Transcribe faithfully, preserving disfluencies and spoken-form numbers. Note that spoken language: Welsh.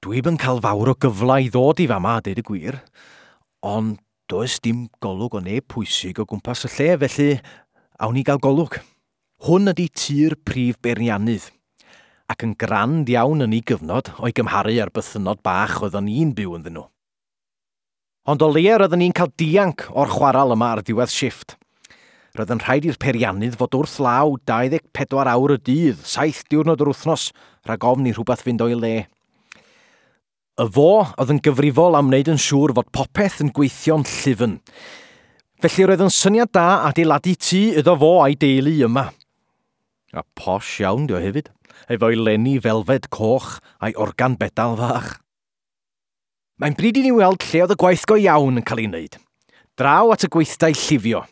Dwi'm yn cael fawr o gyfle i ddod i fama, a deud y gwir, ond does dim golwg o neb pwysig o gwmpas y lle, felly awn ni gael golwg. Hwn ydy tŷ'r prif beiriannydd, ac yn grand iawn yn ei gyfnod o'i gymharu â'r bythynnod bach oeddwn ni'n byw ynddyn nhw. Ond o leia roeddwn ni'n cael dianc o'r chwaral yma ar ddiwedd shifft. Roedd yn rhaid i'r peiriannydd fod wrth law dau ddeg pedwar awr y dydd, saith diwrnod yr wythnos, rhag ofn i rhywbeth fynd o'i le. Y fo oedd yn gyfrifol am wneud yn siŵr fod popeth yn gweithio'n llyfn. Felly roedd yn syniad da adeiladu tŷ iddo fo a'i deulu yma. A posh iawn dio hefyd, efo'i lenni felfed coch a'i organ bedal fach. Mae'n bryd i ni weld lle oedd y gwaith go iawn yn cael ei wneud. Draw at y gweithdai llifio.